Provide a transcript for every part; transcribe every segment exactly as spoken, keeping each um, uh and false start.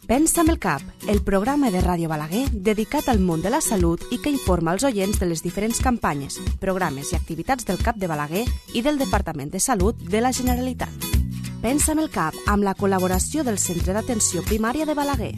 Pensa amb el cap, el programa de Ràdio Balaguer dedicat al món de la salut i que informa els oients de les diferents campanyes, programes i activitats del CAP de Balaguer i del Departament de Salut de la Generalitat. Pensa amb el cap amb la col·laboració del Centre d'Atenció Primària de Balaguer.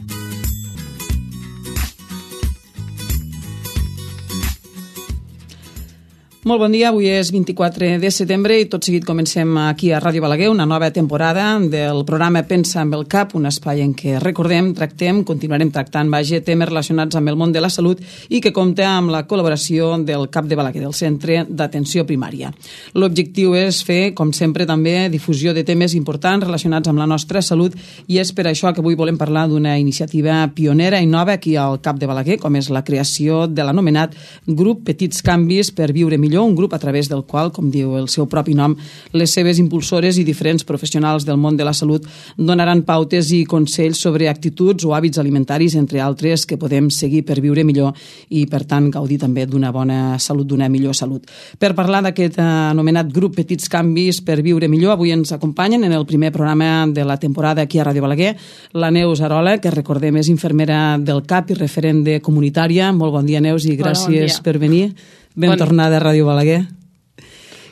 Molt bon dia, avui és vint-i-quatre de setembre i tot seguit comencem aquí a Ràdio Balaguer una nova temporada del programa Pensa amb el cap, un espai en què recordem, tractem, continuarem tractant, vaja, temes relacionats amb el món de la salut i que compta amb la col·laboració del CAP de Balaguer, del Centre d'Atenció Primària. L'objectiu és fer, com sempre, també difusió de temes importants relacionats amb la nostra salut i és per això que avui volem parlar d'una iniciativa pionera i nova aquí al CAP de Balaguer, com és la creació de l'anomenat Grup Petits Canvis per Viure Millor, un grup a través del qual, com diu el seu propi nom, les seves impulsores i diferents professionals del món de la salut donaran pautes i consells sobre actituds o hàbits alimentaris, entre altres, que podem seguir per viure millor i, per tant, gaudir també d'una bona salut, d'una millor salut. Per parlar d'aquest anomenat grup Petits Canvis per Viure Millor, avui ens acompanyen en el primer programa de la temporada aquí a Ràdio Balaguer la Neus Arola, que recordem és infermera del CAP i referent de comunitària. Molt bon dia, Neus, i gràcies per venir. Ben bon... tornada a Ràdio Balaguer.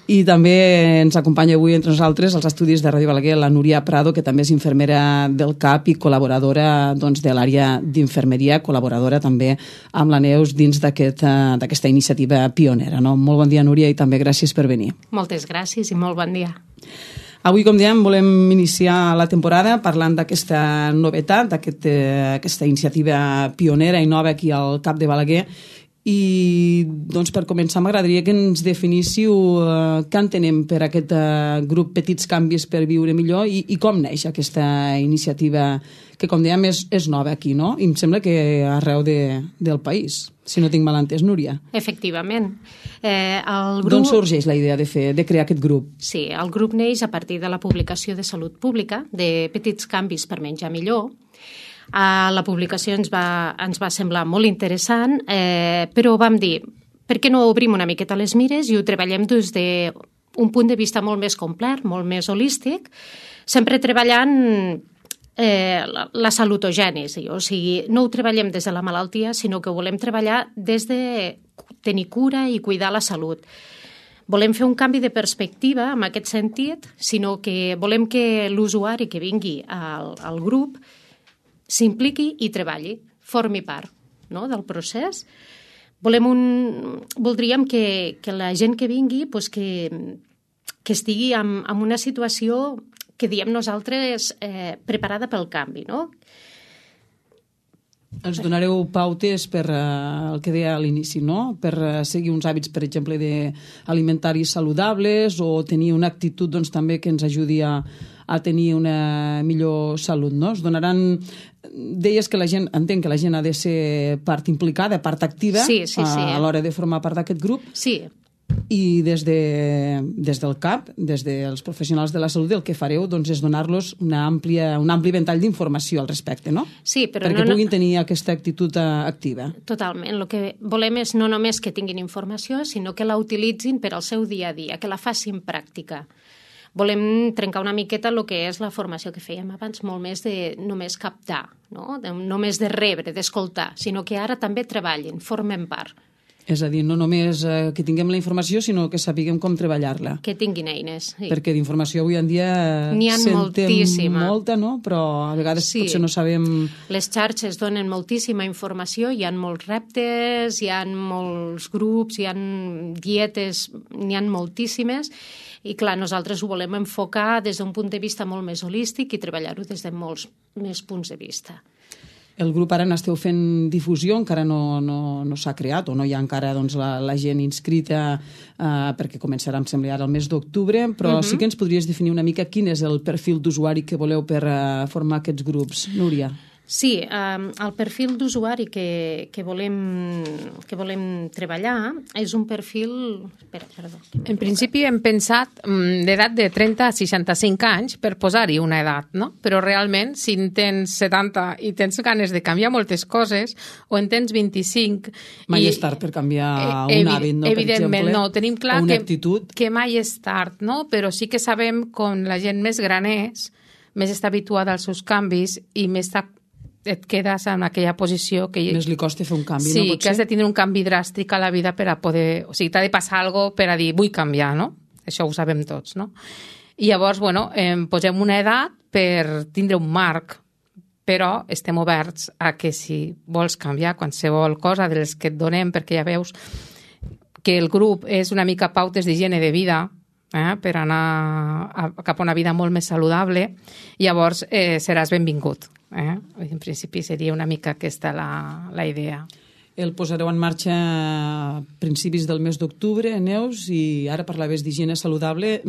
I també ens acompanya avui entre nosaltres als estudis de Ràdio Balaguer la Núria Prado, que també és infermera del CAP i col·laboradora doncs, de l'àrea d'infermeria, col·laboradora també amb la Neus dins d'aquesta aquest, iniciativa pionera. No? Molt bon dia, Núria, i també gràcies per venir. Moltes gràcies i molt bon dia. Avui, com dèiem, volem iniciar la temporada parlant d'aquesta novetat, d'aquesta aquest, iniciativa pionera i nova aquí al CAP de Balaguer. I doncs, per començar m'agradaria que ens definíssiu eh, què entenem per aquest eh, grup Petits Canvis per Viure Millor i, i com neix aquesta iniciativa que, com dèiem, és, és nova aquí, no? I em sembla que arreu de, del país, si no tinc mal entès, Núria. Efectivament. Eh, el grup... D'on sorgeix la idea de, fer, de crear aquest grup? Sí, el grup neix a partir de la publicació de Salut Pública de Petits Canvis per Menjar Millor. Uh, la publicació ens va, ens va semblar molt interessant, eh, però vam dir, per què no obrim una miqueta les mires i ho treballem des d'un punt de vista molt més complet, molt més holístic, sempre treballant eh, la, la salutogènesi, o sigui, no ho treballem des de la malaltia, sinó que ho volem treballar des de tenir cura i cuidar la salut. Volem fer un canvi de perspectiva en aquest sentit, sinó que volem que l'usuari que vingui al, al grup s'impliqui i treballi, formi part, no?, del procés. Volem un, voldríem que, que la gent que vingui pues, que, que estigui en, en una situació que diem nosaltres eh, preparada pel canvi, no? Ens donareu pautes per uh, el que deia a l'inici, no? Per uh, seguir uns hàbits, per exemple, alimentaris saludables o tenir una actitud doncs, també que ens ajudi a, a tenir una millor salut, no? Es donaran... Deies que la gent, entenc que la gent ha de ser part implicada, part activa sí, sí, sí. a, a l'hora de formar part d'aquest grup. Sí. I des, de, des del CAP, des dels professionals de la salut, el que fareu doncs, és donar-los una àmplia, un ampli ventall d'informació al respecte, no? Sí, però perquè no, puguin tenir aquesta actitud activa. Totalment. El que volem és no només que tinguin informació, sinó que la utilitzin per al seu dia a dia, que la facin pràctica. Volem trencar una miqueta el que és la formació que fèiem abans, molt més de només captar, no? De, només de rebre, d'escoltar, sinó que ara també treballin, formen part. És a dir, no només eh, que tinguem la informació, sinó que sapiguem com treballar-la. Que tinguin eines. Sí. Perquè d'informació avui en dia n'hi ha sentem moltíssima. molta, no? Però a vegades sí. Potser no sabem... Les xarxes donen moltíssima informació, hi ha molts reptes, hi ha molts grups, hi ha dietes, n'hi ha moltíssimes, i clar, nosaltres ho volem enfocar des d'un punt de vista molt més holístic i treballar-ho des de molts més punts de vista. El grup ara n'esteu fent difusió, encara no, no, no s'ha creat o no hi ha encara doncs, la, la gent inscrita eh, perquè començarà, em sembla, ara el mes d'octubre, però uh -huh. sí que ens podries definir una mica quin és el perfil d'usuari que voleu per uh, formar aquests grups, Núria. Sí, eh, el perfil d'usuari que, que, volem, que volem treballar és un perfil... Espera, perdó. En principi hem pensat d'edat de trenta a seixanta-cinc anys per posar-hi una edat, no? Però realment, si en tens setanta i tens ganes de canviar moltes coses, o en tens vint-i-cinc... Mai i, és tard per canviar eh, un hàbit, no? Evidentment, per exemple, no. Tenim clar una que, actitud. que mai és tard, no? Però sí que sabem com la gent més gran és, més està habituada als seus canvis i més està et quedes en aquella posició que... Més li costa fer un canvi, sí, no? Sí, que has de tindre un canvi dràstic a la vida per a poder... O sigui, t'ha de passar alguna cosa per a dir, vull canviar, no? Això ho sabem tots, no? I llavors, bueno, eh, posem una edat per tindre un marc, però estem oberts a que si vols canviar qualsevol cosa de les que et donem, perquè ja veus que el grup és una mica pautes d'higiene de vida, eh, per anar a, cap a una vida molt més saludable, llavors eh, seràs benvingut. Eh? En principi seria una mica aquesta la, la idea. El posareu en marxa a principis del mes d'octubre, Neus, i ara parlaves d'higiene saludable.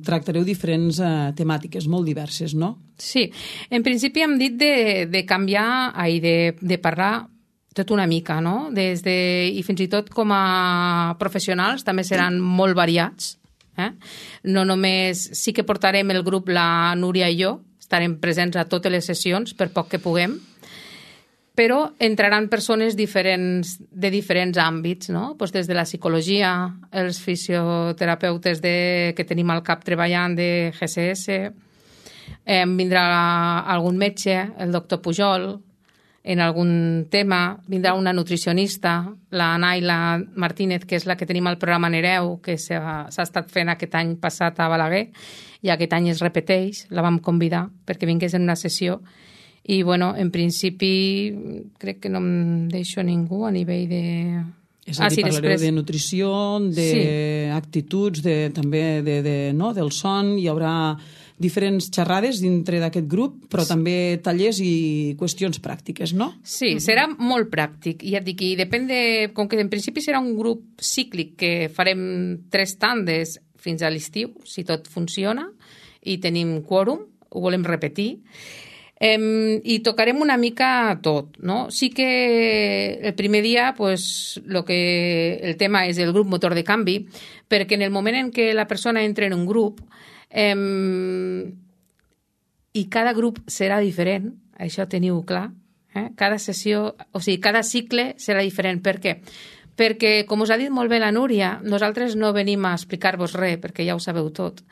Tractareu diferents eh, temàtiques molt diverses, no? Sí. En principi hem dit de, de canviar i de, de parlar tot una mica, no? Des de, i fins i tot com a professionals també seran molt variats. Eh? No només... Sí que portarem el grup, la Núria i jo, estarem presents a totes les sessions, per poc que puguem, però entraran persones diferents, de diferents àmbits, no? Pues des de la psicologia, els fisioterapeutes de, que tenim al cap treballant de G C S, eh, vindrà algun metge, el doctor Pujol, en algun tema, vindrà una nutricionista, la Naila Martínez, que és la que tenim al programa Nereu, que s'ha estat fent aquest any passat a Balaguer, i aquest any es repeteix, la vam convidar perquè vingués en una sessió, i bueno, en principi crec que no em deixo ningú a nivell de... És a dir, ah, sí, parlareu després... de nutrició, d'actituds, sí. de, també de, de, no, del son, hi haurà diferents xerrades dintre d'aquest grup, però sí. també tallers i qüestions pràctiques, no? Sí, uh-huh. serà molt pràctic. I ja et dic, i depèn de... Com que en principi serà un grup cíclic que farem tres tandes fins a l'estiu, si tot funciona, i tenim quòrum, ho volem repetir, eh, i tocarem una mica tot, no? Sí que el primer dia, pues, lo que, el tema és el grup motor de canvi, perquè en el moment en què la persona entra en un grup, eh, i cada grup serà diferent, això teniu clar, eh? Cada sessió, o sigui, cada cicle serà diferent. Per què? Perquè, com us ha dit molt bé la Núria, nosaltres no venim a explicar-vos res, perquè ja ho sabeu tot,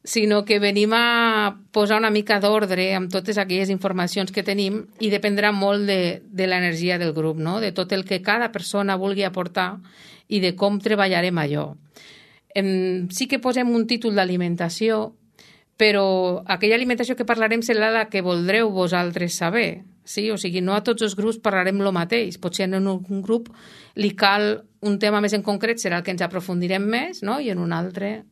sinó que venim a posar una mica d'ordre amb totes aquelles informacions que tenim i dependrà molt de, de l'energia del grup, no? De tot el que cada persona vulgui aportar i de com treballarem allò. Em, sí que posem un títol d'alimentació, però aquella alimentació que parlarem serà la que voldreu vosaltres saber. Sí? O sigui, no a tots els grups parlarem el mateix. Potser en un grup li cal un tema més en concret, serà el que ens aprofundirem més, no? I en un altre...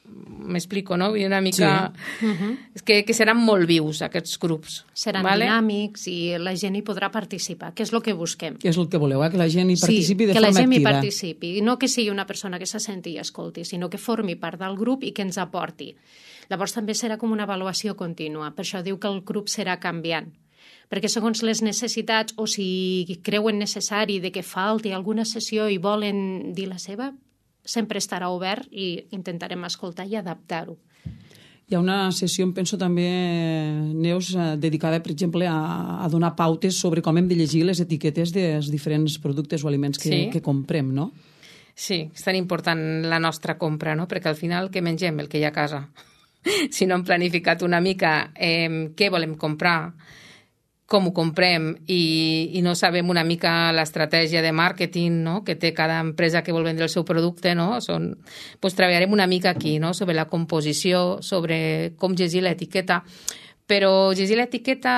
M'explico, no? I una mica... Sí. Uh-huh. És que, que seran molt vius, aquests grups. Seran vale? dinàmics i la gent hi podrà participar, que és el que busquem. Que és el que voleu, eh? Que la gent hi participi sí, de forma activa. Sí, que la gent hi participi. I no que sigui una persona que se senti i escolti, sinó que formi part del grup i que ens aporti. Llavors també serà com una avaluació contínua. Per això diu que el grup serà canviant. Perquè segons les necessitats, o si creuen necessari de que falti alguna sessió i volen dir la seva, sempre estarà obert i intentarem escoltar i adaptar-ho. Hi ha una sessió, em penso també, Neus, dedicada, per exemple, a, a donar pautes sobre com hem de llegir les etiquetes dels diferents productes o aliments que, sí. que comprem, no? Sí, és tan important la nostra compra, no? Perquè al final què mengem? El que hi ha a casa. Si no hem planificat una mica eh, què volem comprar, com ho comprem i, i no sabem una mica l'estratègia de màrqueting, no? Que té cada empresa que vol vendre el seu producte, no? Són, pues, treballarem una mica aquí, no? Sobre la composició, sobre com llegir l'etiqueta. Però llegir l'etiqueta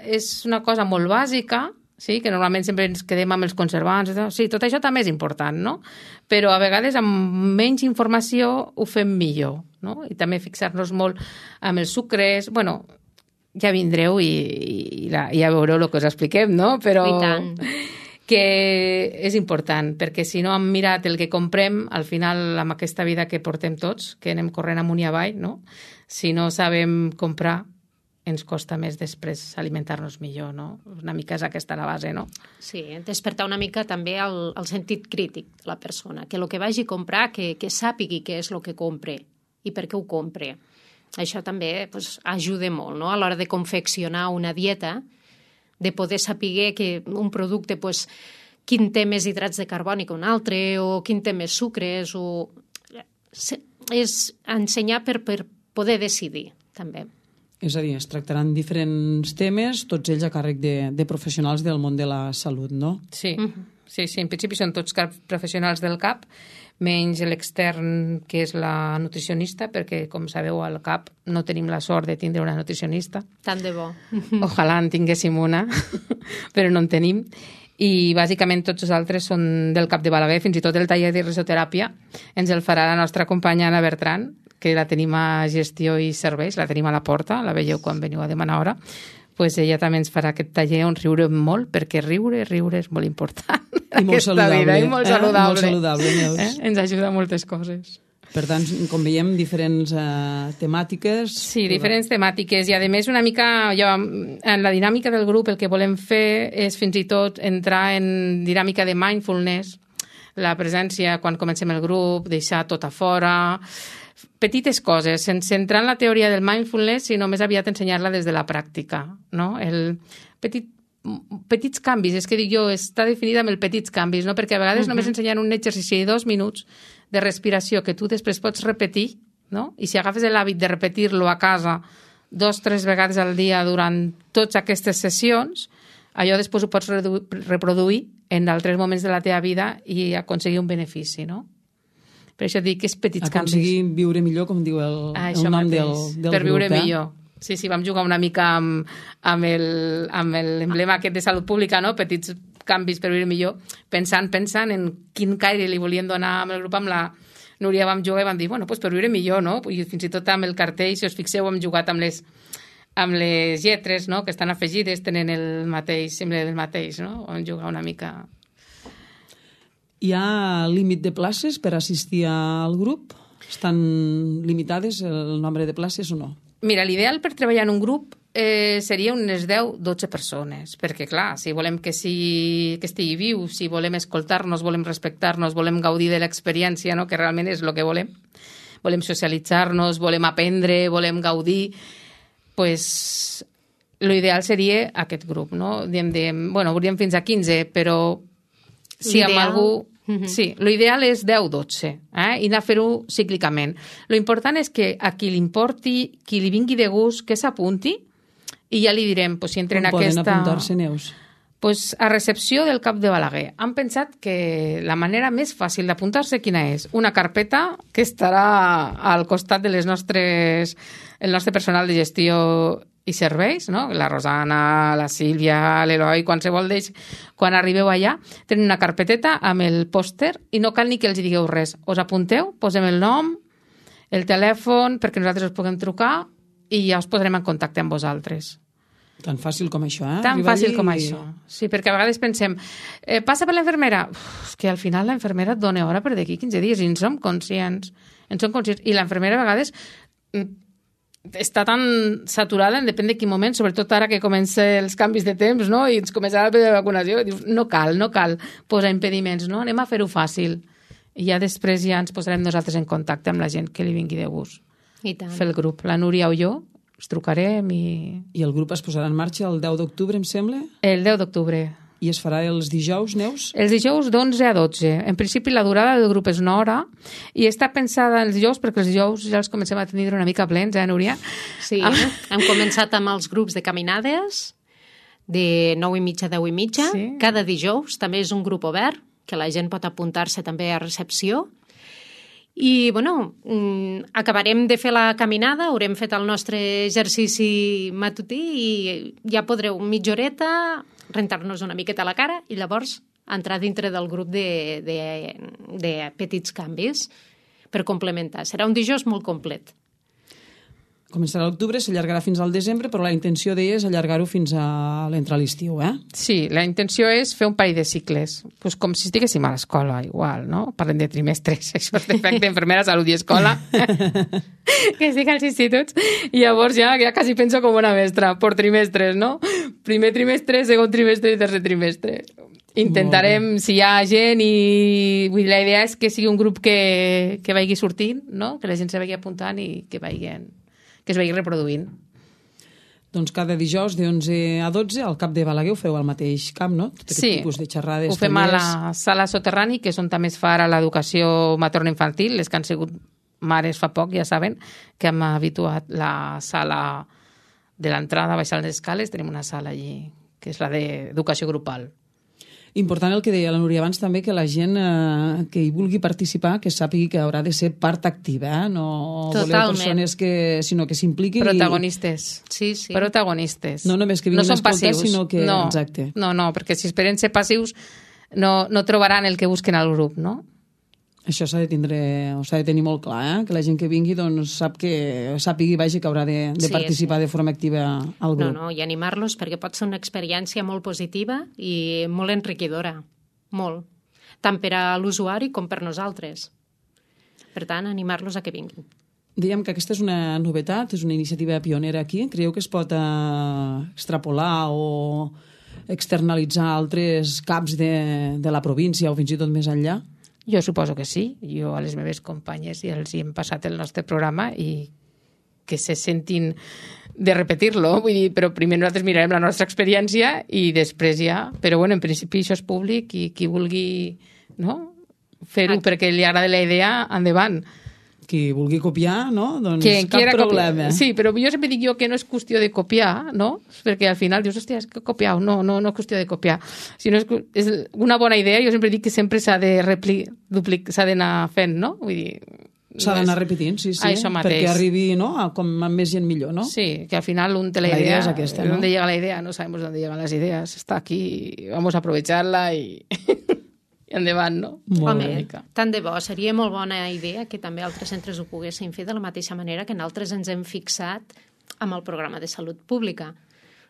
és una cosa molt bàsica, sí? Que normalment sempre ens quedem amb els conservants. Sí, tot això també és important, no? Però a vegades amb menys informació ho fem millor, no? I també fixar-nos molt amb els sucres, bueno... Ja vindreu i, i la, ja veureu el que us expliquem, no? Però que és important, perquè si no hem mirat el que comprem, al final, amb aquesta vida que portem tots, que anem corrent amunt i avall, no? Si no sabem comprar, ens costa més després alimentar-nos millor, no? Una mica és aquesta la base, no? Sí, despertar una mica també el, el sentit crític de la persona, que el que vagi a comprar, que, que sàpigui què és el que compre i per què ho compre. Això també pues, ajuda molt, no? A l'hora de confeccionar una dieta, de poder saber que un producte, pues, quin té més hidrats de carboni que un altre, o quin té més sucres, o... és ensenyar per, per poder decidir, també. És a dir, es tractaran diferents temes, tots ells a càrrec de, de professionals del món de la salut, no? Sí, uh-huh. sí, sí, en principi són tots professionals del C A P, menys l'extern, que és la nutricionista, perquè, com sabeu, al C A P no tenim la sort de tindre una nutricionista. Tant de bo. Ojalà en tinguéssim una, però no en tenim. I bàsicament tots els altres són del C A P de Balaguer, fins i tot el taller de risoteràpia ens el farà la nostra companya Anna Bertran, que la tenim a gestió i serveis, la tenim a la porta, la veieu quan veniu a demanar hora, pues ella també ens farà aquest taller on riurem molt, perquè riure, riure és molt important. I molt saludable. Vida, i molt eh? saludable. Molt saludable, Neus. Eh? Ens ajuda a moltes coses. Per tant, com veiem, diferents eh, temàtiques... Sí, diferents temàtiques. I, a més, una mica, jo, en la dinàmica del grup, el que volem fer és fins i tot entrar en dinàmica de mindfulness, la presència quan comencem el grup, deixar tot a fora, petites coses, sense entrar en la teoria del mindfulness, sinó més aviat ensenyar-la des de la pràctica, no? El petit, petits canvis, és que dic jo, està definida amb el petits canvis, no? Perquè a vegades uh-huh. només ensenyant un exercici de dos minuts de respiració que tu després pots repetir, no? I si agafes l'hàbit de repetir-lo a casa dos, tres vegades al dia durant totes aquestes sessions, allò després ho pots reproduir en altres moments de la teva vida i aconseguir un benefici, no? Per això dic que és petits canvis. Aconseguir viure millor, com diu el, ah, el nom del, del per grup. Per viure eh? millor. Sí, sí, vam jugar una mica amb, amb el- amb l'emblema aquest de salut pública, no? Petits canvis per viure millor, pensant, pensant en quin caire li volien donar amb el grup, amb la Núria vam jugar i vam dir, bueno, doncs per viure millor, no? I fins i tot amb el cartell, si us fixeu, hem jugat amb les, amb les lletres, no? Que estan afegides, tenen el mateix, sembla el mateix, no? Vam jugar una mica... Hi ha límit de places per assistir al grup? Estan limitades el nombre de places o no? Mira, l'ideal per treballar en un grup eh, seria unes deu dotze persones, perquè, clar, si volem que, si, que estigui viu, si volem escoltar-nos, volem respectar-nos, volem gaudir de l'experiència, no? Que realment és el que volem, volem socialitzar-nos, volem aprendre, volem gaudir, pues, l'ideal seria aquest grup, no? Diem, de, bueno, hauríem fins a quinze, però si amb L'ideal- algú... Mhm. Sí, l'ideal és deu dotze, eh? I anar a fer-ho cíclicament. Lo important és que a qui li importi, qui li vingui de gust, que s'apunti, i ja li direm, pues, si entra en Com poden aquesta... apuntar-se, Neus? Pues, a recepció del C A P de Balaguer. Han pensat que la manera més fàcil d'apuntar-se quina és? Una carpeta que estarà al costat de les nostres, el nostre personal de gestió i serveis, no? La Rosana, la Sílvia, l'Eloi, qualsevol d'ells, quan arribeu allà, tenen una carpeteta amb el pòster i no cal ni que els digueu res. Us apunteu, posem el nom, el telèfon, perquè nosaltres us puguem trucar i ja us posarem en contacte amb vosaltres. Tan fàcil com això, eh? Tan Arribar fàcil allí com i- això. Sí, perquè a vegades pensem, eh, passa per l'infermera. Uf, és que al final la infermera et dona hora per d'aquí quinze dies i en som conscients. En som conscients. I la infermera a vegades mm, està tan saturada, en depèn de quin moment, sobretot ara que comencen els canvis de temps, no? I ens començarà el període de vacunació. I dius, no cal, no cal posar impediments, no? Anem a fer-ho fàcil. I ja després ja ens posarem nosaltres en contacte amb la gent que li vingui de gust. I tant. Fer el grup. La Núria o jo us trucarem i... I el grup es posarà en marxa el deu d'octubre, em sembla, El deu d'octubre. i es farà els dijous, Neus? Els dijous d'onze a dotze. En principi la durada del grup és una hora i està pensada els dijous perquè els dijous ja els comencem a tenir una mica plens, eh, Núria? Sí, Ah. hem començat amb els grups de caminades de nou i mitja a deu i mitja. Sí. Cada dijous també és un grup obert, que la gent pot apuntar-se també a recepció. I, bueno, mm, acabarem de fer la caminada, haurem fet el nostre exercici matutí i ja podreu mitja horeta rentar-nos una miqueta la cara i llavors entrar dintre del grup de, de, de petits canvis per complementar. Serà un dijous molt complet. Començarà a l'octubre, s'allargarà fins al desembre, però la intenció d'ella és allargar-ho fins a l'entrar a l'estiu, eh? Sí, la intenció és fer un parell de cicles, pues com si estiguéssim a l'escola, igual, no? Parlem de trimestres, això és d'efecte infermera, salut i escola, que estic als instituts, i llavors ja, ja quasi penso com una mestra, per trimestres, no? Primer trimestre, segon trimestre i tercer trimestre. Intentarem, si hi ha gent, i vull dir, la idea és que sigui un grup que, que vagi sortint, no? Que la gent se vagi apuntant i que vagin, que es vagi reproduint. Doncs cada dijous de onze a dotze al Cap de Balaguer ho feu al mateix camp, no? Tot aquest Sí, tipus de xerrades, ho fem a tallers. la sala soterrani, que és on també es fa ara l'educació materno-infantil. Les que han sigut mares fa poc ja saben que hem habituat la sala de l'entrada, baixant les escales, tenim una sala allí, que és la d'educació grupal. Important el que deia la Núria abans també, que la gent eh, que hi vulgui participar, que sàpigui que haurà de ser part activa, eh? No voleu persones que, sinó que s'impliquin. Protagonistes. I... Sí, sí. Protagonistes. No només que vinguin no a escoltar, passius. Sinó que... No, exacte. No, no, perquè si esperen ser passius no, no trobaran el que busquen al grup, no? Això s'ha de tindre, o s'ha de tenir molt clar, eh? Que la gent que vingui doncs, sap que sàpigui vagi que haurà de, de sí, participar sí. de forma activa al grup. No, no, i animar-los perquè pot ser una experiència molt positiva i molt enriquidora, molt, tant per a l'usuari com per nosaltres. Per tant, animar-los a que vinguin. Dèiem que aquesta és una novetat, és una iniciativa pionera aquí. Creieu que es pot eh, extrapolar o externalitzar altres caps de, de la província o fins i tot més enllà? Jo suposo que sí. Jo a les meves companyes ja els hi hem passat el nostre programa i que se sentin de repetir-lo, vull dir, però primer nosaltres mirarem la nostra experiència i després ja, però bueno, en principi això és públic i qui vulgui, no?, fer-ho perquè li agrada la idea, endavant. Qui vulgui copiar, no? Doncs Quien cap problema. Copiar. Sí, però jo sempre dic jo que no és qüestió de copiar, no? Perquè al final dius, hòstia, és que he copiat. No, no, no és qüestió de copiar. Si no és, és una bona idea, jo sempre dic que sempre s'ha de repli, duplic, s'ha d'anar fent, no? Vull dir... S'ha no d'anar és... repetint, sí, sí. Això mateix. Perquè arribi, no?, a, com amb més gent millor, no? Sí, que al final un té la, la idea, idea és aquesta, no? ¿Dónde llega la idea? No sabemos dónde llegan las ideas. Está aquí, vamos a aprovecharla y... endavant, no? Home, tant de bo, seria molt bona idea que també altres centres ho poguessin fer de la mateixa manera que nosaltres ens hem fixat amb el programa de salut pública.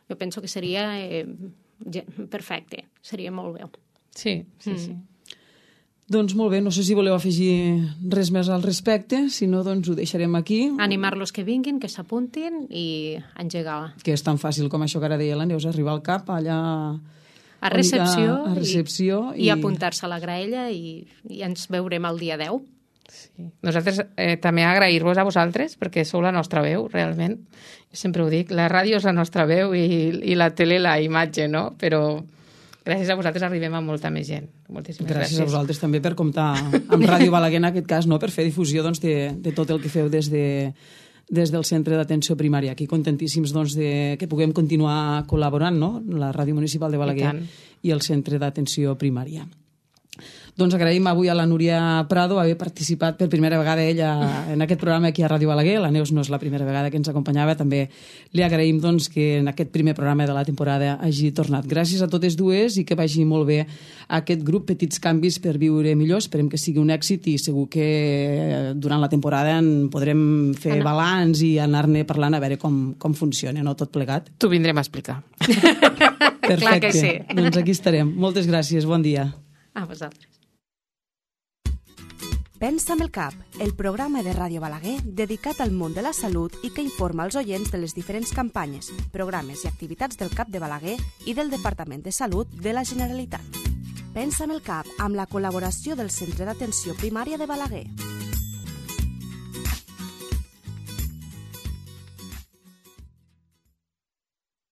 Jo penso que seria eh, perfecte, seria molt bé. Sí, sí, mm. sí. Doncs molt bé, no sé si voleu afegir res més al respecte, si no, doncs ho deixarem aquí. Animar-los que vinguin, que s'apuntin i engegar. Que és tan fàcil com això que ara deia la Neus, arribar al cap allà... A recepció, a recepció i, i... i apuntar-se a la graella i, i ens veurem el dia deu. Sí. Nosaltres eh, també agrair-vos a vosaltres perquè sou la nostra veu, realment. Jo sempre ho dic, la ràdio és la nostra veu i, i la tele la imatge, no? Però gràcies a vosaltres arribem a molta més gent. Moltíssimes gràcies. Gràcies a vosaltres també per comptar amb Ràdio Balaguer en aquest cas, no? Per fer difusió doncs, de, de tot el que feu des de... des del Centre d'Atenció Primària. Aquí contentíssims doncs, de que puguem continuar col·laborant, no?, la Ràdio Municipal de Balaguer i, i el Centre d'Atenció Primària. Doncs agraïm avui a la Núria Prado haver participat per primera vegada ella en aquest programa aquí a Ràdio Balaguer. La Neus no és la primera vegada que ens acompanyava. També li agraïm doncs, que en aquest primer programa de la temporada hagi tornat. Gràcies a totes dues i que vagi molt bé aquest grup Petits Canvis per Viure Millor. Esperem que sigui un èxit i segur que durant la temporada en podrem fer Anna. balanç i anar-ne parlant a veure com, com funciona, no?, tot plegat. T'ho vindrem a explicar. Perfecte. Clar que sí. Doncs aquí estarem. Moltes gràcies. Bon dia. A vosaltres. Pensa amb el cap, el programa de Ràdio Balaguer dedicat al món de la salut i que informa els oients de les diferents campanyes, programes i activitats del CAP de Balaguer i del Departament de Salut de la Generalitat. Pensa amb el cap amb la col·laboració del Centre d'Atenció Primària de Balaguer.